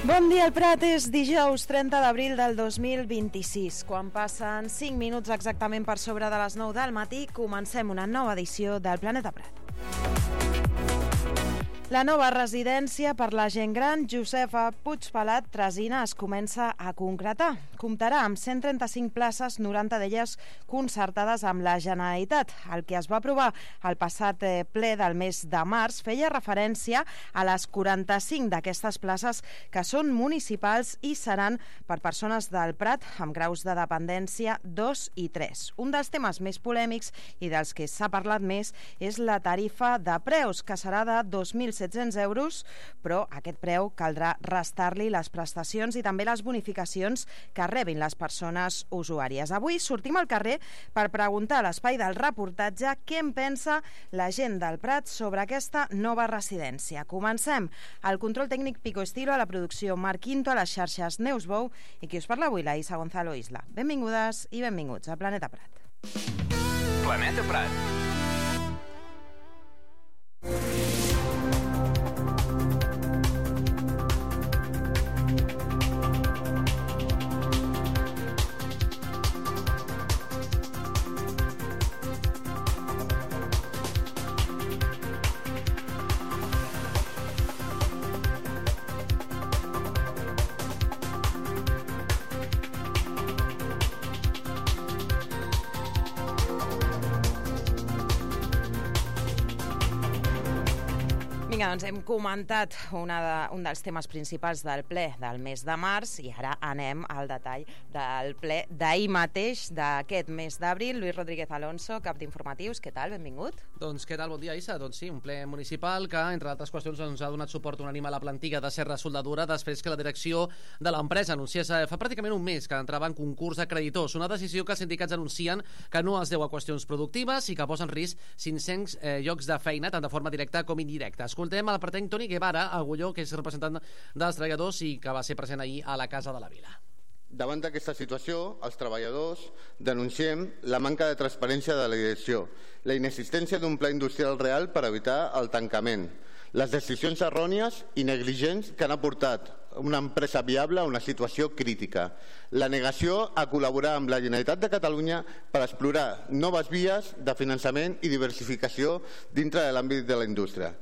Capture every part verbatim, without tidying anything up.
Bon dia, el Prat. És dijous trenta d'abril del dos mil vint-i-sis. Quan passen cinc minuts exactament per sobre de les nou del matí, comencem una nova edició del Planeta Prat. La nova residència per la gent gran Josefa Puigpelat Tresina es comença a concretar. Comptarà amb cent trenta-cinc places, noranta d'elles concertades amb la Generalitat. El que es va aprovar al passat ple del mes de març feia referència a les quaranta-cinc d'aquestes places que són municipals i seran per persones del Prat amb graus de dependència dos i tres. Un dels temes més polèmics i dels que s'ha parlat més és la tarifa de preus, que serà de dos mil set-cents euros, però aquest preu caldrà restar-li les prestacions i també les bonificacions que rebin les persones usuàries. Avui sortim al carrer per preguntar a l'espai del reportatge què en pensa la gent del Prat sobre aquesta nova residència. Comencem. El control tècnic Pico Estilo, a la producció Marc Quinto, a les xarxes Neus Bou i qui us parla avui, la Isa Gonzalo Isla. Benvingudes i benvinguts a Planeta Prat. Planeta Prat. Vinga, doncs hem comentat una de, un dels temes principals del ple del mes de març i ara anem al detall del ple d'ahir mateix, d'aquest mes d'abril. Lluís Rodríguez Alonso, cap d'informatius, què tal? Benvingut. Doncs què tal? Bon dia, Isa. Doncs sí, un ple municipal que, entre altres qüestions, doncs, ha donat suport unànime a la plantilla de Serra Soldadura després que la direcció de l'empresa anunciés fa pràcticament un mes que entrava en concurs de creditors. Una decisió que els sindicats anuncien que no es deu a qüestions productives i que posa en risc cinc-cents eh, llocs de feina, tant de forma directa com indirecta. Escoltem el pretenc Toni Guevara, Agulló, que és representant dels treballadors i que va ser present ahir a la Casa de la Vila. Davant d'aquesta situació, els treballadors denunciem la manca de transparència de la direcció, la inexistència d'un pla industrial real per evitar el tancament, les decisions errònies i negligents que han aportat una empresa viable a una situació crítica, la negació a col·laborar amb la Generalitat de Catalunya per explorar noves vies de finançament i diversificació dintre de l'àmbit de la indústria.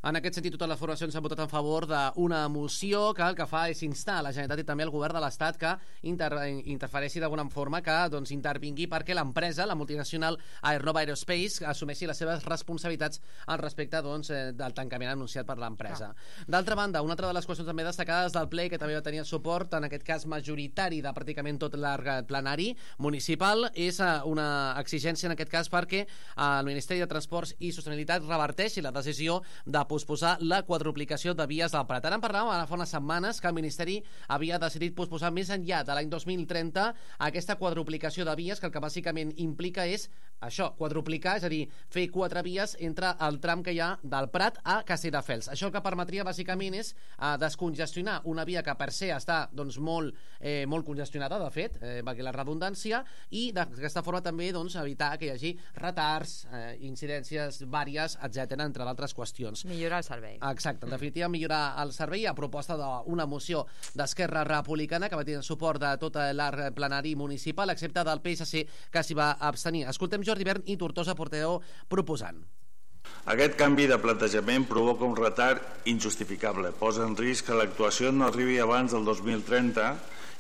En aquest sentit, totes les formacions han votat en favor d'una moció que el que fa és instar a la Generalitat i també al govern de l'Estat que inter interfereixi d'alguna forma, que doncs, intervingui perquè l'empresa, la multinacional Aernova Aerospace, assumeixi les seves responsabilitats al respecte doncs, del tancament anunciat per l'empresa. Ah. D'altra banda, una altra de les qüestions també destacades del ple, que també va tenir suport, en aquest cas majoritari de pràcticament tot l'arc plenari municipal, és una exigència en aquest cas perquè el Ministeri de Transports i Sostenibilitat reverteixi la decisió de posposar la quadruplicació de vies del Prat. Ara en parlàvem fa unes setmanes que el Ministeri havia decidit posposar més enllà de l'any dos mil trenta aquesta quadruplicació de vies, que el que bàsicament implica és això, quadruplicar, és a dir, fer quatre vies entre el tram que hi ha del Prat a Castelldefels. Això el que permetria bàsicament és eh, descongestionar una via que per se està doncs, molt, eh, molt congestionada, de fet, eh, perquè la redundància, i d'aquesta forma també doncs, evitar que hi hagi retards, eh, incidències vàries, etcètera, entre d'altres qüestions. Millorar el servei. Exacte, en definitiva millorar el servei a proposta d'una moció d'Esquerra Republicana que va tenir el suport de tot l'arc plenari municipal, excepte del P S C, que s'hi va abstenir. Escoltem Jordi Bern i Tortosa, portaveu proposant. Aquest canvi de plantejament provoca un retard injustificable, posa en risc que l'actuació no arribi abans del dos mil trenta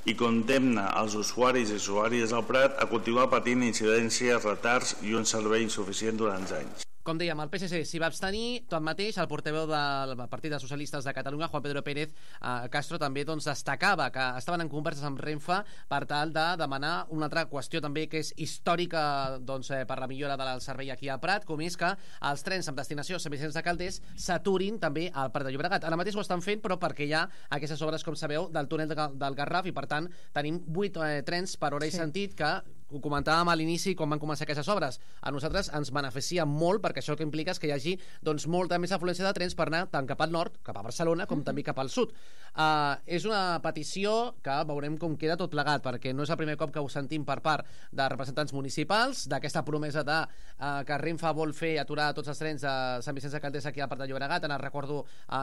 i condemna els usuaris i usuàries del Prat a continuar patint incidències, retards i un servei insuficient durant anys. Com dèiem, el P S C s'hi va abstenir, tanmateix el portaveu del Partit dels Socialistes de Catalunya, Juan Pedro Pérez eh, Castro, també doncs, destacava que estaven en converses amb Renfe per tal de demanar una altra qüestió també que és històrica doncs, eh, per la millora del servei aquí al Prat, com és que els trens amb destinació a Sant Vicenç de Calders s'aturin també al Prat de Llobregat. Ara mateix ho estan fent, però perquè hi ha aquestes obres, com sabeu, del túnel del Garraf i per tant tenim vuit eh, trens per hora i sí. sentit que ho comentàvem a l'inici quan van començar aquestes obres. A nosaltres ens beneficia molt perquè això que implica és que hi hagi doncs, molta més afluència de trens per anar tant cap al nord, cap a Barcelona, com uh-huh. també cap al sud. Uh, és una petició que veurem com queda tot plegat, perquè no és el primer cop que ho sentim per part de representants municipals, d'aquesta promesa de, uh, que Renfe vol fer aturar tots els trens de Sant Vicenç de Calders aquí al Prat de Llobregat. En el recordo uh,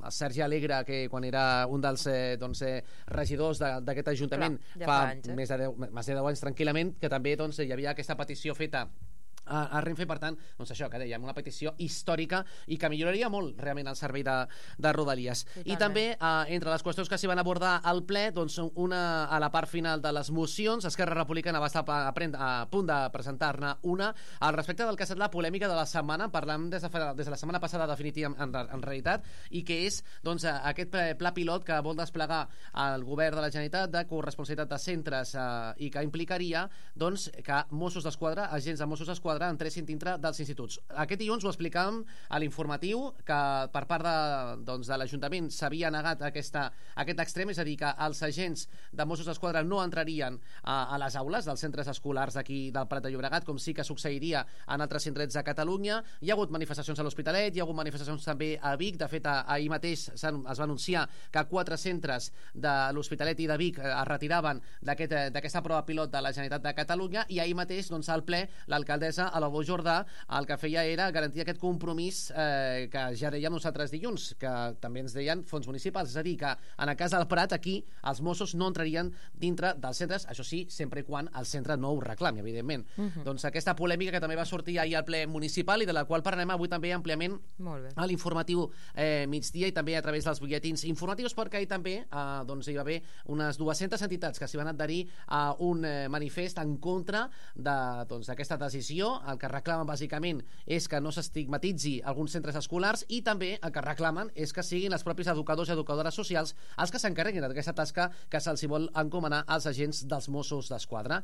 a Sergi Alegre, que quan era un dels eh, doncs, eh, regidors d'aquest ajuntament Clar, fa, fa anys, eh? més, de deu, més de deu anys tranquil·lament, que també doncs, hi havia aquesta petició feta a, a Renfe, per tant, doncs això que dèiem, una petició històrica i que milloraria molt realment el servei de, de Rodalies. Totalment. I també, eh, entre les qüestions que s'hi van abordar al ple, doncs una a la part final de les mocions, Esquerra Republicana va estar a, a, a punt de presentar-ne una al respecte del que ha estat la polèmica de la setmana, parlant des de, des de la setmana passada definitiva en, en, en realitat, i que és doncs, aquest pla pilot que vol desplegar el govern de la Generalitat de corresponsabilitat de centres eh, i que implicaria doncs, que Mossos d'Esquadra, agents de Mossos d'Esquadra entressin dintre dels instituts. Aquest dilluns ho explicàvem a l'informatiu, que per part de, doncs, de l'Ajuntament s'havia negat aquesta, aquest extrem, és a dir, que els agents de Mossos d'Esquadra no entrarien a, a les aules dels centres escolars d'aquí del Prat de Llobregat, com sí que succeiria en altres indrets de Catalunya. Hi ha hagut manifestacions a l'Hospitalet, hi ha hagut manifestacions també a Vic. De fet, ahir mateix es va anunciar que quatre centres de l'Hospitalet i de Vic es retiraven d'aquesta aquest, prova pilot de la Generalitat de Catalunya, i ahir mateix, doncs, al ple, l'alcaldessa a la Bo Jordà el que feia era garantir aquest compromís eh, que ja dèiem nosaltres dilluns, que també ens deien fons municipals, és a dir, que en el cas del Prat aquí els Mossos no entrarien dintre dels centres, això sí, sempre i quan el centre no ho reclami, evidentment. Uh-huh. Doncs aquesta polèmica que també va sortir ahir al ple municipal i de la qual parlarem avui també àmpliament a l'informatiu eh, migdia i també a través dels butlletins informatius, perquè ahir també eh, doncs, hi va haver unes dues-centes entitats que s'hi van adherir a un eh, manifest en contra d'aquesta de, doncs, decisió. El que reclamen bàsicament és que no s'estigmatitzi alguns centres escolars, i també el que reclamen és que siguin els propis educadors i educadores socials els que s'encarreguin d'aquesta tasca que se'ls vol encomanar als agents dels Mossos d'Esquadra.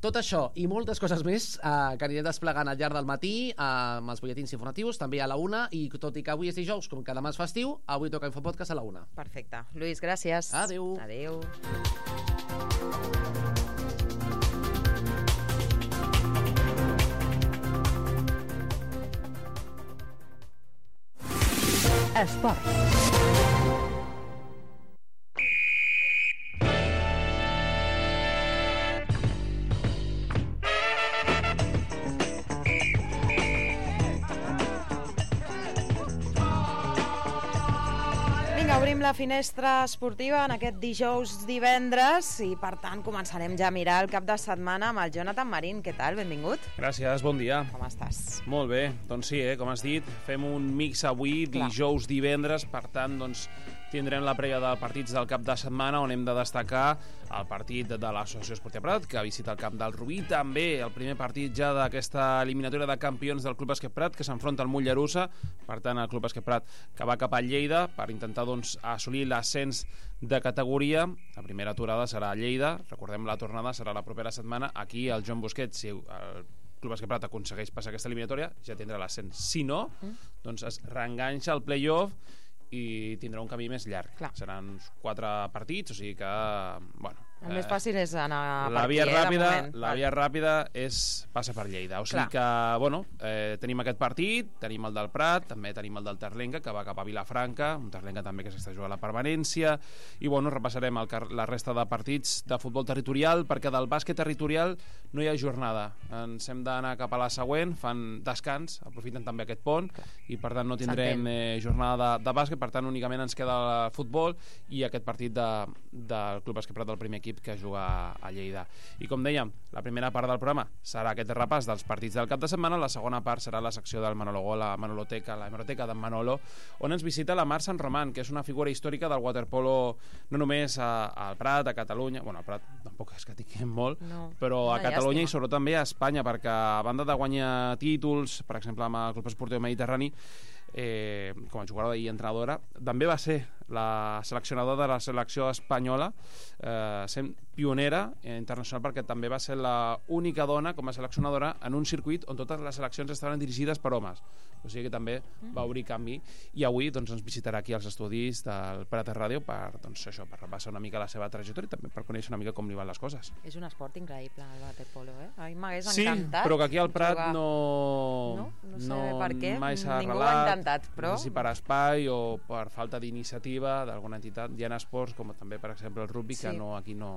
Tot això i moltes coses més eh, que anirem desplegant al llarg del matí eh, amb els butlletins informatius, també a la una, i tot i que avui és dijous, com que demà és festiu, avui toca Infopodcast a la una. Perfecte. Lluís, gràcies. Adéu. Adéu. Esports. Vinga, obrim la finestra esportiva en aquest dijous divendres i, per tant, començarem ja a mirar el cap de setmana amb el Jonathan Marín. Què tal? Benvingut. Gràcies, bon dia. Com estàs? Molt bé, doncs sí, eh, com has dit, fem un mix avui, Clar. dijous, divendres, per tant, doncs, tindrem la prèvia de partits del cap de setmana, on hem de destacar el partit de l'Associació Esportiva Prat, que visita el camp del Rubí, també el primer partit ja d'aquesta eliminatòria de campions del Club Bàsquet Prat, que s'enfronta al Mollerussa, per tant el Club Bàsquet Prat que va cap a Lleida per intentar doncs, assolir l'ascens de categoria. La primera aturada serà a Lleida, recordem la tornada serà la propera setmana aquí al Joan Busquets. Si el Club Bàsquet Prat aconsegueix passar aquesta eliminatòria, ja tindrà l'ascens. Si no, doncs es reenganxa al play-off i tindrà un camí més llarg. Clar. Seran quatre partits, o sigui que, bueno, el més fàcil és anar a la partir, via eh, ràpida, de moment. la via ràpida és passar per Lleida. O sigui Clar. que, bueno, eh, tenim aquest partit, tenim el del Prat, també tenim el del Terlenca, que va cap a Vilafranca, un Terlenca també que s'està jugant la permanència, i, bueno, repassarem el, la resta de partits de futbol territorial, perquè del bàsquet territorial no hi ha jornada. Ens hem d'anar cap a la següent, fan descans, aprofiten també aquest pont, Clar. i per tant no tindrem eh, jornada de, de bàsquet, per tant únicament ens queda el futbol i aquest partit de, del Club Bàsquet Prat del primer equip que juga a Lleida. I com dèiem, la primera part del programa serà aquest repàs dels partits del cap de setmana, la segona part serà la secció del Manolo Gol, la Manoloteca, la hemeroteca d'en Manolo, on ens visita la Mar Sant Román, que és una figura històrica del waterpolo, no només a, al Prat, a Catalunya, bueno, al Prat tampoc és que tinguem molt, no, però a Catalunya llàstima. I sobretot també a Espanya, perquè a banda de guanyar títols, per exemple amb el Club Esportiu Mediterrani, Eh, com a jugadora i entrenadora, també va ser la seleccionadora de la selecció espanyola, eh, sent pionera internacional, perquè també va ser l'única dona com a seleccionadora en un circuit on totes les seleccions estaven dirigides per homes. O sigui que també va obrir canvi, i avui doncs, ens visitarà aquí als estudis del Prat Ràdio per, doncs, això, per repassar una mica la seva trajectòria i també per conèixer una mica com li van les coses. És un esport increïble, el waterpolo, eh? A mi m'hagués sí, encantat. Sí, però que aquí al Prat jugar. no... No, no sé no, per què, mai s'ha ningú arrelat, ho ha intentat, però... No sé si per espai o per falta d'iniciativa d'alguna entitat. Hi ha esports com també, per exemple, el rugby, sí. que no, aquí no,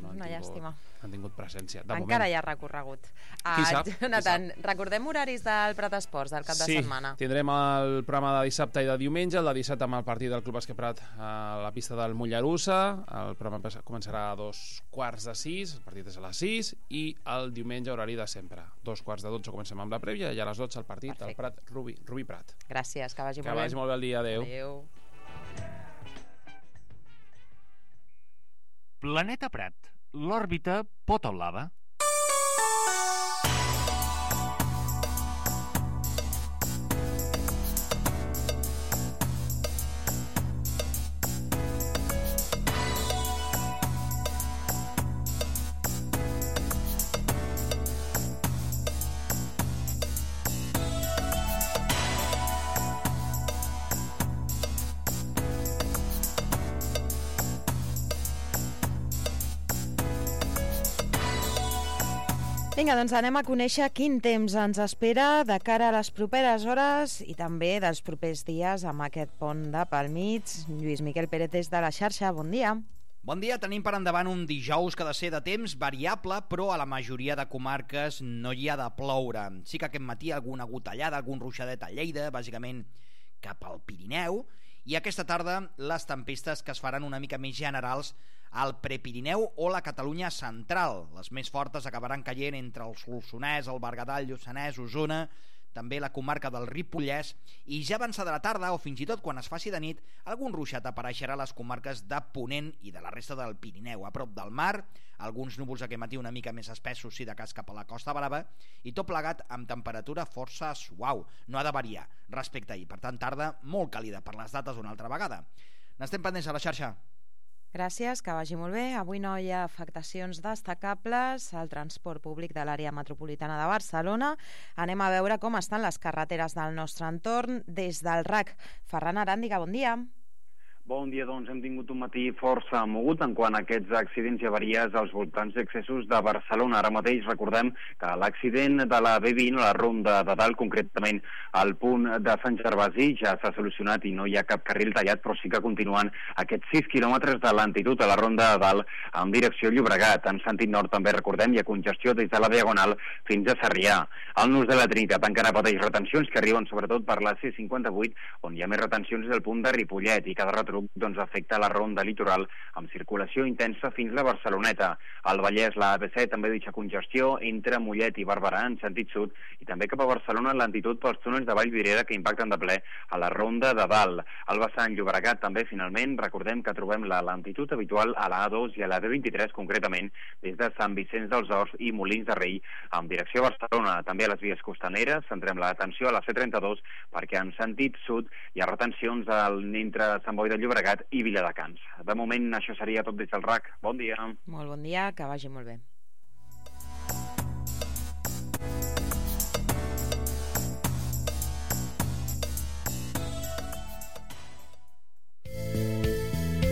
no han, una tingut, llàstima. han tingut presència. De Encara moment. hi ha recorregut. Ah, qui sap? Jonathan, qui sap? Recordem horaris del Prat Esports del cap de sí, setmana. Sí, tindrem el programa de dissabte i de diumenge, el de dissabte amb el partit del Club Bàsquet Prat a la pista del Mollerussa. El programa començarà a dos quarts de sis, el partit és a les sis, i el diumenge horari de sempre. Dos quarts de dotze comencem amb la prèvia i a les dotze el partit Perfecte. Al Prat Rubí, Rubí Prat. Gràcies, que vagi que molt bé. Que vagi molt bé el dia, adeu. Adeu. Planeta Prat. L'òrbita pot o lava? Vinga, doncs anem a conèixer quin temps ens espera de cara a les properes hores i també dels propers dies amb aquest pont de pel mig. Lluís Miquel Pérez des de la xarxa, bon dia. Bon dia, tenim per endavant un dijous que ha de ser de temps variable, però a la majoria de comarques no hi ha de ploure. Sí que aquest matí alguna gotellada, algun ruixadet a Lleida, bàsicament cap al Pirineu, i aquesta tarda les tempestes que es faran una mica més generals al Prepirineu o la Catalunya central. Les més fortes acabaran caient entre el Solsonès, el Berguedà, el Lluçanès, Osona, també la comarca del Ripollès, i ja avançada la tarda, o fins i tot quan es faci de nit, algun ruixat apareixerà a les comarques de Ponent i de la resta del Pirineu. A prop del mar, alguns núvols aquest matí una mica més espessos, si de cas cap a la Costa Brava, i tot plegat amb temperatura força suau. No ha de variar respecte a ahir. Per tant, tarda molt càlida per les dates una altra vegada. N'estem pendents a la xarxa. Gràcies, que vagi molt bé. Avui no hi ha afectacions destacables al transport públic de l'àrea metropolitana de Barcelona. Anem a veure com estan les carreteres del nostre entorn des del R A C. Ferran Aràndiga, bon dia. Bon dia, doncs hem tingut un matí força mogut en quant a aquests accidents i avaries als voltants d'accessos de Barcelona. Ara mateix recordem que l'accident de la B vint, la ronda de dalt, concretament al punt de Sant Gervasi, ja s'ha solucionat i no hi ha cap carril tallat, però sí que continuen aquests sis quilòmetres de lentitud a la ronda de dalt en direcció Llobregat. En sentit nord també recordem hi ha congestió des de la Diagonal fins a Sarrià. Al Nus de la Trinitat encara pateix retencions que arriben sobretot per la C cinquanta-vuit, on hi ha més retencions del punt de Ripollet, i cada retruc doncs afecta la ronda litoral amb circulació intensa fins a la Barceloneta. Al Vallès, la A B C també deixa congestió entre Mollet i Barberà en sentit sud, i també cap a Barcelona en lentitud pels túnels de Vallvidrera que impacten de ple a la ronda de dalt. Al vessant Llobregat també, finalment, recordem que trobem la lentitud habitual a la A dos i a la B vint-i-tres, concretament des de Sant Vicenç dels Horts i Molins de Rei en direcció a Barcelona. També a les vies costaneres centrem l'atenció a la C trenta-dos perquè en sentit sud hi ha retencions al, entre Sant Boi de Llobregat i Viladecans. De moment això seria tot des del R A C. Bon dia. Molt bon dia, que vagi molt bé.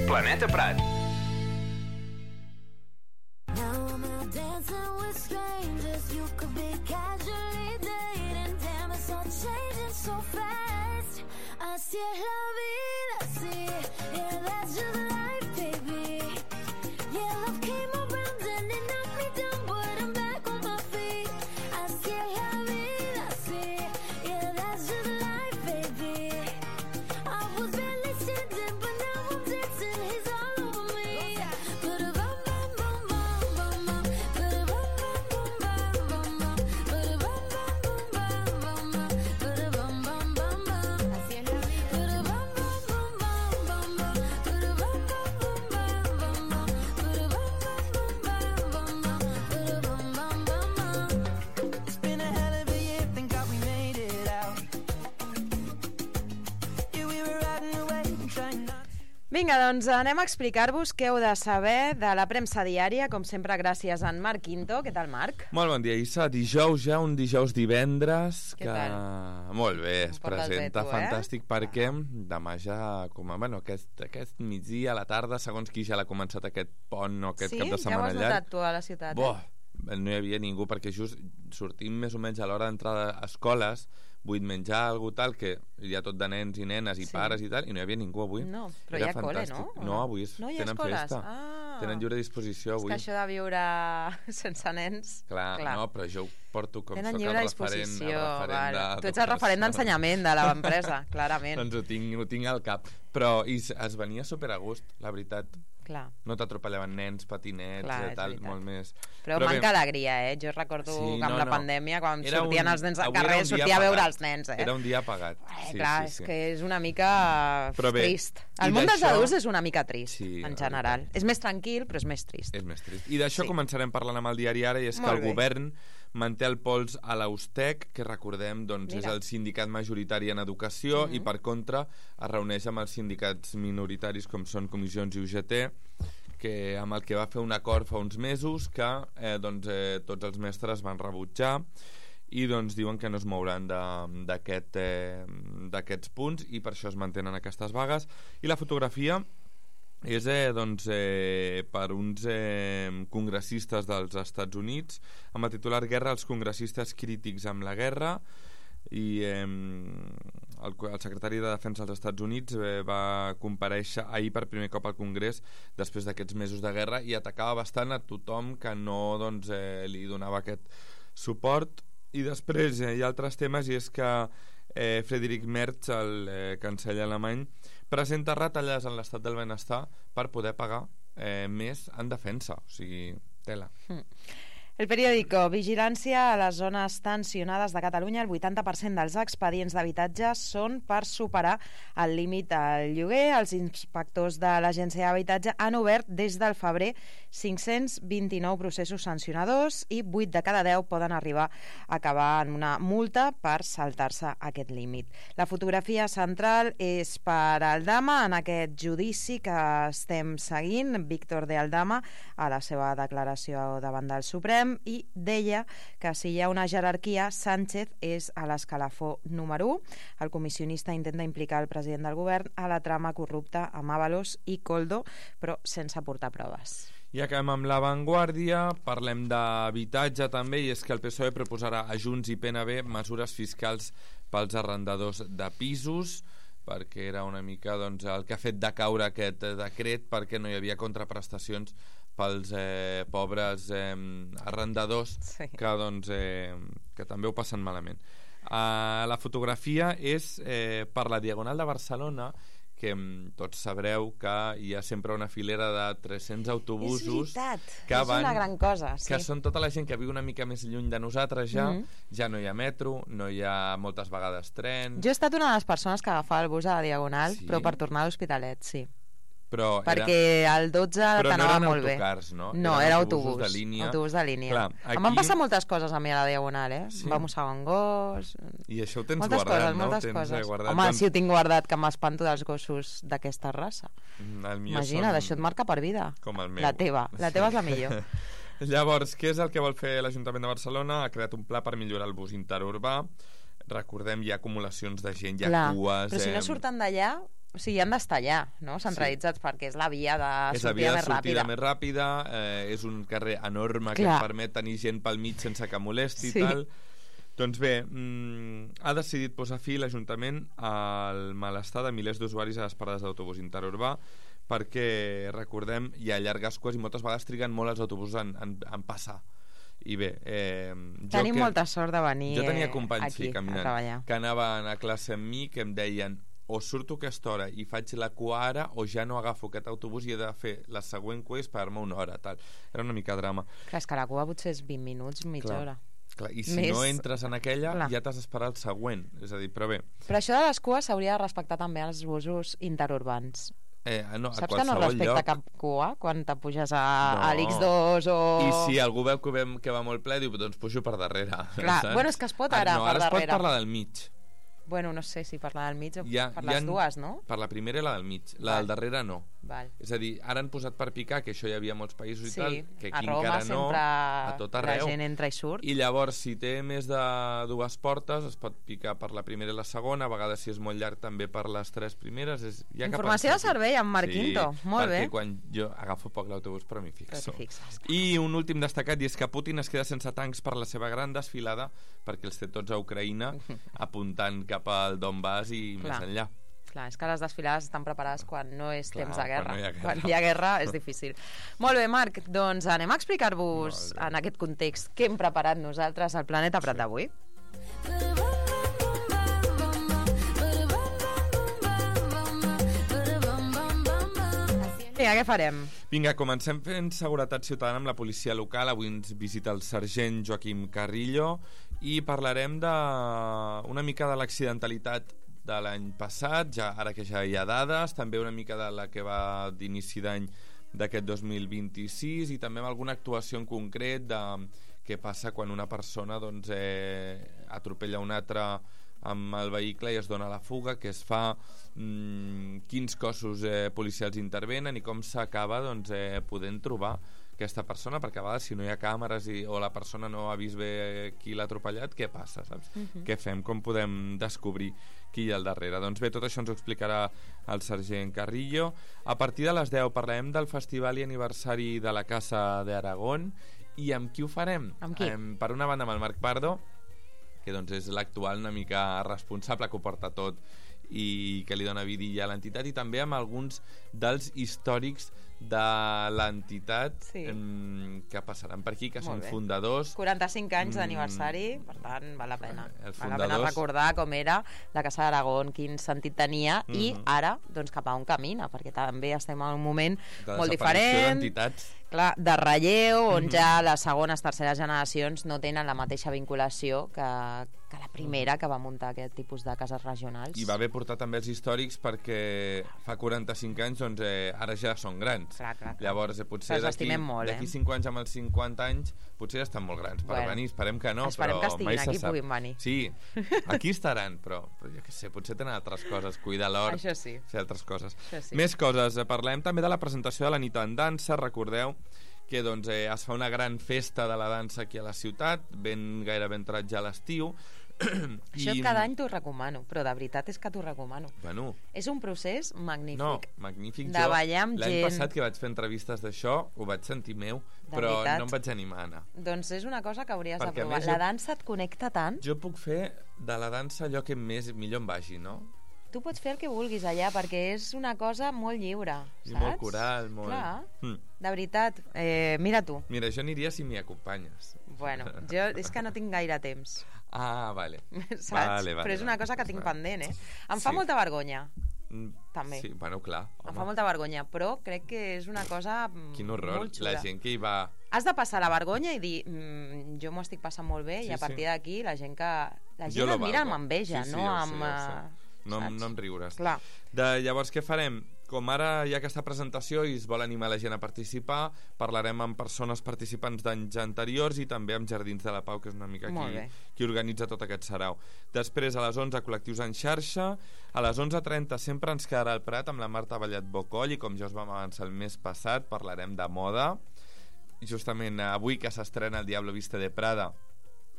Planeta Prat. Así es la vida, sí, yeah, that's just life, baby. Yeah, love came around and it knocked me down, but I'm back on my feet. Así es la vida, sí, yeah, that's just life, baby. I was barely standing, but now I'm dancing, he's all over me. Ba-da-bum, bum, bum, bum, bum, bum. Ba-da-bum, bum, bum, bum, bum, bum. Ba-da-bum, bum, bum, bum, bum, bum. Ba-da-bum, bum, bum, bum. Así es la vida. Ba-da-bum, bum, bum, bum, bum, bum. Ba-da-bum, Vinga, doncs anem a explicar-vos què heu de saber de la premsa diària, com sempre gràcies a en Marc Quinto. Què tal, Marc? Molt bon dia, Issa. Dijous ja, un dijous divendres Què que... tal? Molt bé, es portes bé, presenta tu, eh? fantàstic perquè demà ja, com a, bueno, aquest, aquest migdia a la tarda, segons qui ja l'ha començat aquest pont o aquest Sí? cap de Ja ho setmana has llarg. notat tu a la ciutat, Boh, eh? no hi havia ningú, perquè just sortim més o menys a l'hora d'entrada a escoles, vull menjar algú tal, que hi ha tot de nens i nenes i Sí. pares i tal, i no hi havia ningú avui. No, però Era hi ha col·le, fantàstic. no? O No, no? avui és, No hi ha tenen escoles? festa. Ah. Tenen lliure disposició És avui. que això de viure sense nens... Clar, Clar. no, però jo ho porto com Tenen soc el lliure referent, el disposició. referent Vale. de... Tu ets el referent d'ensenyament de l'empresa, clarament. Doncs ho tinc, ho tinc al cap. Però i es es venia super a gust, la veritat. Clar. No t'atropellaven nens, patinets, Clar, i és tal, veritat. molt més... Però, bé, manca alegria, eh? Jo recordo Sí, que amb no, la no. pandèmia, quan Era sortien un- els nens al avui era carrer, un dia sortia a veure apagat. els nens, eh? Era un dia apagat. Eh, Sí, clar, sí, és sí. que és una mica Però bé, trist. i El món dels d'això- adults és una mica trist, Sí, en la general. És més tranquil, però és més trist. És més trist. I d'això Sí. començarem parlant amb el diari ara, i és Molt que el bé. govern manté el pols a l'Austec, que recordem doncs, és Mira. el sindicat majoritari en educació, Mhm. i per contra es reuneix amb els sindicats minoritaris com són Comissions i U G T, que, amb el que va fer un acord fa uns mesos que eh, doncs, eh, tots els mestres van rebutjar, i doncs diuen que no es mouran de- d'aquest, eh, d'aquests punts, i per això es mantenen aquestes vagues. I la fotografia és eh, doncs, eh, per uns eh, congressistes dels Estats Units, amb el titular "Guerra als congressistes crítics amb la guerra", i eh, el, el secretari de Defensa dels Estats Units eh, va comparèixer ahir per primer cop al Congrés després d'aquests mesos de guerra, i atacava bastant a tothom que no doncs, eh, li donava aquest suport. I després eh, hi ha altres temes, i és que eh, Friedrich Merz, el eh, canceller alemany, presenta retallades en l'estat del benestar per poder pagar eh, més en defensa. O sigui, tela. Mm. El periòdico, vigilància a les zones tensionades de Catalunya. El vuitanta per cent dels expedients d'habitatge són per superar el límit del lloguer. Els inspectors de l'Agència d'Habitatge han obert des del febrer cinc-cents vint-i-nou processos sancionadors, i vuit de cada deu poden arribar a acabar en una multa per saltar-se aquest límit. La fotografia central és per Aldama en aquest judici que estem seguint. Víctor de Aldama, a la seva declaració davant del Suprem, i deia que si hi ha una jerarquia, Sánchez és a l'escalafó número u. El comissionista intenta implicar el president del govern a la trama corrupta amb Ábalos i Koldo, però sense aportar proves. I acabem amb La Vanguardia, parlem d'habitatge també, i és que el P S O E proposarà a Junts i P N B mesures fiscals pels arrendadors de pisos, perquè era una mica doncs, el que ha fet decaure aquest eh, decret, perquè no hi havia contraprestacions pels eh, pobres eh, arrendadors, Sí. que, doncs, eh, que també ho passen malament. Uh, la fotografia és eh, per la Diagonal de Barcelona, que mm, tots sabreu que hi ha sempre una filera de tres-cents autobusos És veritat, que és van, una gran cosa. Sí. que són tota la gent que viu una mica més lluny de nosaltres ja. Mhm. Ja no hi ha metro, no hi ha moltes vegades tren, Jo he estat una de les persones que agafava el bus a la Diagonal, Sí? però per tornar a l'Hospitalet, sí. però Perquè el dotze Però no t'anava eren molt bé. autocars, no? No, Eren era autobusos autobús. de línia. Autobús de línia. Clar, Em van aquí- passar moltes coses a mi a la Diagonal, eh? Sí? Em va mossegar un gos... I això ho tens moltes guardat, coses, no? moltes Tens, coses. eh, guardat, Home, doncs- sí ho tinc guardat, que m'espanto dels gossos d'aquesta raça. Mm, el millor Imagina't, són això et marca per vida. com el meu. La teva, la teva és la millor. Llavors, què és el que vol fer l'Ajuntament de Barcelona? Ha creat un pla per millorar el bus interurbà. Recordem, hi ha acumulacions de gent, hi ha Clar, cues... però si no eh, surten d'allà, o sigui, han d'estar allà, no? Centralitzats, sí. Perquè és la via de és la sortida via de més sortida ràpida. més ràpida, eh, és un carrer enorme que Clar. et permet tenir gent pel mig sense que molesti i Sí. tal. Doncs bé, mm, ha decidit posar fi l'Ajuntament al malestar de milers d'usuaris a les parades d'autobús interurbà, perquè, recordem, hi ha llargues cues i moltes vegades triguen molt els autobusos en, en, en passar. I bé, eh, jo Tenim que, molta sort de venir jo tenia eh, companys aquí sí, a caminant, treballar. que anaven a classe amb mi, que em deien o surto a aquesta hora i faig la cua ara, o ja no agafo aquest autobús i he de fer la següent cua i esperar-me una hora, tal. Era una mica drama. Clar, és que la cua potser és vint minuts, mitja Clar. hora. Clar, i si Més- no entres en aquella, Clar. ja t'has d'esperar el següent. És a dir, però bé... Però això de les cues s'hauria de respectar també als busos interurbans. Eh, no, a Saps que no qualsevol respecta lloc. cap cua quan te puges a, No. a l'X dos o... I si algú veu que, ve, que va molt ple, diu, doncs pujo per darrere. Clar, saps? bueno, és que es pot Ah, ara no, per ara es pot darrere. parlar del mig. Bueno, no sé si per la del mig o ha, per les ha, dues, no? Per la primera i la del mig. La Val. del darrere no. Val. És a dir, ara han posat per picar, que això hi havia a molts països Sí, i tal, que a aquí Roma encara no, sempre a tot arreu. la gent entra i surt. I llavors, si té més de dues portes, es pot picar per la primera i la segona, a vegades si és molt llarg també per les tres primeres. És, hi ha Informació de servei amb Marc sí, Quinto, molt bé. perquè quan jo agafo poc l'autobús però m'hi fixo. Però t'hi fixes, clar. I un últim destacat, i és que Putin es queda sense tancs per la seva gran desfilada, perquè els té tots a Ucraïna, apuntant cap al Donbass i Clar. més enllà. Clar, és que les desfilades estan preparades quan no és Clar, temps de guerra. quan no hi ha guerra. Quan hi ha guerra és difícil. Molt bé, Marc, doncs anem a explicar-vos en aquest context què hem preparat nosaltres al Planeta Prat d'avui. Vinga, què farem? Vinga, comencem fent seguretat ciutadana amb la policia local. Avui ens visita el sergent Joaquim Carrillo i parlarem de una mica de l'accidentalitat de l'any passat, ja ara que ja hi ha dades, també una mica de la que va d'inici d'any d'aquest dos mil vint-i-sis i també amb alguna actuació en concret de què passa quan una persona doncs, eh, atropella una altra amb el vehicle i es dona la fuga, què es fa, mmm, quins cossos eh, policials intervenen i com s'acaba doncs, eh, podent trobar aquesta persona, perquè a vegades si no hi ha càmeres i, o la persona no ha vist bé qui l'ha atropellat, què passa, saps? Mhm. Què fem? Com podem descobrir qui hi ha al darrere? Doncs bé, tot això ens ho explicarà el sergent Carrillo. A partir de les deu parlarem del festival i aniversari de la Casa d'Aragón. I amb qui ho farem? Amb qui? Em, per una banda amb el Marc Pardo, que doncs és l'actual una mica responsable, que ho porta tot i que li dona vidilla a l'entitat, i també amb alguns dels històrics de l'entitat Sí. em, que passaran per aquí, que Molt són bé. fundadors. quaranta-cinc anys Mm. d'aniversari, per tant, val la pena. Els Val la pena fundadors- recordar com era la Casa d'Aragón, quin sentit tenia, i Mhm. ara, doncs, cap a on camina, perquè també estem en un moment De molt desaparició diferent, d'entitats. clar, de relleu, on Mhm. ja les segones, terceres generacions no tenen la mateixa vinculació que, que la primera que va muntar aquest tipus de cases regionals. I va bé portar també els històrics perquè fa quaranta-cinc anys doncs, eh, ara ja són grans. Clar, clar, clar. Llavors eh, potser Els d'aquí estimem molt, eh? d'aquí cinc anys amb els cinquanta anys potser ja estan molt grans per Bueno, venir, esperem que no, esperem però que estiguin mai se aquí i sap. puguin venir. Sí, aquí estaran, però, però jo què sé, potser tenen altres coses, cuidar l'hort, Això sí. fer altres coses. Això sí. Més coses, eh, parlem també de la presentació de la nit en dansa, recordeu que doncs, eh, es fa una gran festa de la dansa aquí a la ciutat, ben gairebé entrat ja a l'estiu. Això cada any t'ho recomano, però de veritat és que t'ho recomano. Bueno, És un procés magnífic. no, magnífic. De Jo, ballar amb l'any gent. passat que vaig fer entrevistes d'això, ho vaig sentir meu, De però veritat? no em vaig animar a anar. Doncs és una cosa que hauries Perquè, a de provar. més, La jo- dansa et connecta tant. Jo puc fer de la dansa allò que més millor em vagi, no? Tu pots fer el que vulguis allà, perquè és una cosa molt lliure, I saps? molt coral, molt... Clar, Hm. de veritat. Eh, mira tu. Mira, jo aniria si m'hi acompanyes. Bueno, jo és que no tinc gaire temps, Ah, vale. saps? Vale, vale, Però és una vale. cosa que tinc Vale. pendent, eh? Em fa Sí. molta vergonya, Mm, també. Sí, bueno, clar. em Home, fa molta vergonya, però crec que és una cosa mm, quin horror. molt xula. La gent que hi va... Has de passar la vergonya i dir mm, jo m'ho estic passant molt bé Sí, i a partir sí. d'aquí la gent que la Jo gent lo et mira valgo. amb enveja, Sí, sí, no ja ho sé, amb... ja ho sé. eh, No, saps? no em riuràs. Clar. De, llavors, què farem? Com ara hi ha aquesta presentació i es vol animar la gent a participar, parlarem amb persones participants d'anys anteriors i també amb Jardins de la Pau, que és una mica Molt qui, bé. qui organitza tot aquest sarau. Després, a les onze, col·lectius en xarxa. A les onze trenta sempre ens quedarà el Prat amb la Marta Vallet Bocoll i, com ja us vam avançar el mes passat, parlarem de moda. Justament avui que s'estrena El Diablo Viste de Prada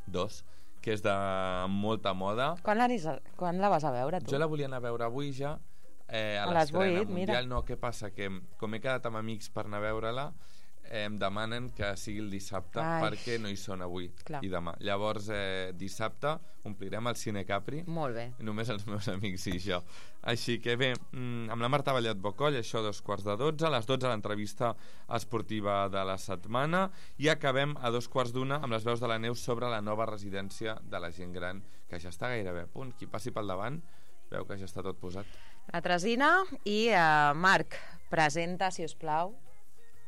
dos, que és de molta moda. Quan, la, quan la vas a veure, tu? Jo la volia anar a veure avui ja, eh, a, A les l'estrena vuit, mira. mundial. No, què passa? Que com he quedat amb amics per anar a veure-la, eh, em demanen que sigui el dissabte Ai. perquè no hi són avui Clar. i demà. Llavors, eh, dissabte omplirem el Cine Capri, Molt bé. només els meus amics i jo. Així que bé, mm, amb la Marta Vallet Bocoll, això a dos quarts de dotze, a les dotze l'entrevista esportiva de la setmana i acabem a dos quarts d'una amb les veus de la Neus sobre la nova residència de la gent gran, que ja està gairebé a punt. Qui passi pel davant veu que ja està tot posat. La Tresina i eh, Marc, presenta, si us plau,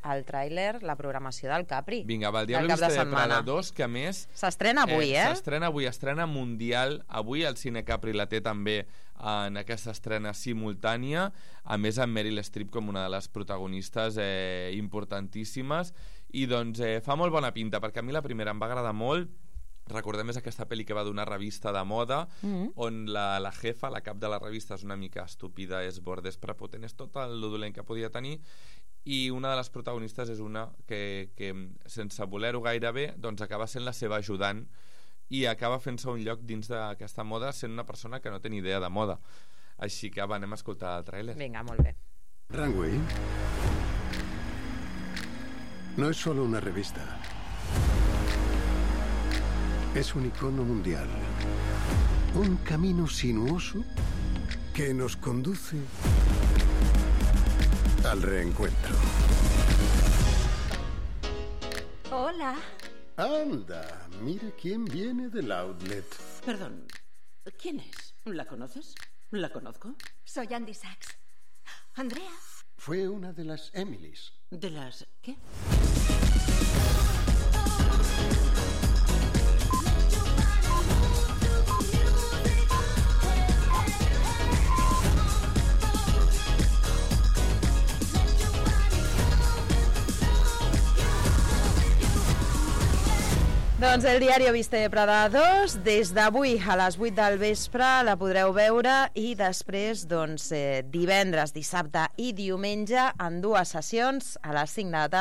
el tràiler, la programació del Capri. Vinga, va, el del Diablo cap de Viste de setmana. Prada dos, que a més... S'estrena avui, eh? S'estrena avui, estrena mundial. Avui el Cine Capri la té també en aquesta estrena simultània, a més amb Meryl Streep com una de les protagonistes eh, importantíssimes, i doncs eh, fa molt bona pinta, perquè a mi la primera em va agradar molt, recordem és aquesta pel·li que va d'una revista de moda, Mm. on la, la jefa, la cap de la revista, és una mica estúpida, és borda, és prepotent, és tot el dolent que podia tenir, i una de les protagonistes és una que, que sense voler-ho gaire bé, doncs acaba sent la seva ajudant i acaba fent-se un lloc dins d'aquesta moda sent una persona que no té ni idea de moda. Així que va, anem a escoltar el tràiler. Vinga, molt bé. Runway no es solo una revista. Es un icono mundial. Un camino sinuoso que nos conduce al reencuentro. Hola. Anda, mire quién viene del outlet. Perdón, ¿quién es? ¿La conoces? ¿La conozco? Soy Andy Sachs. Andrea. Fue una de las Emilys. ¿De las qué? Doncs el diari Viste de Prada dos, des d'avui a les vuit del vespre la podreu veure i després doncs, eh, divendres, dissabte i diumenge en dues sessions a les cinc de la tarda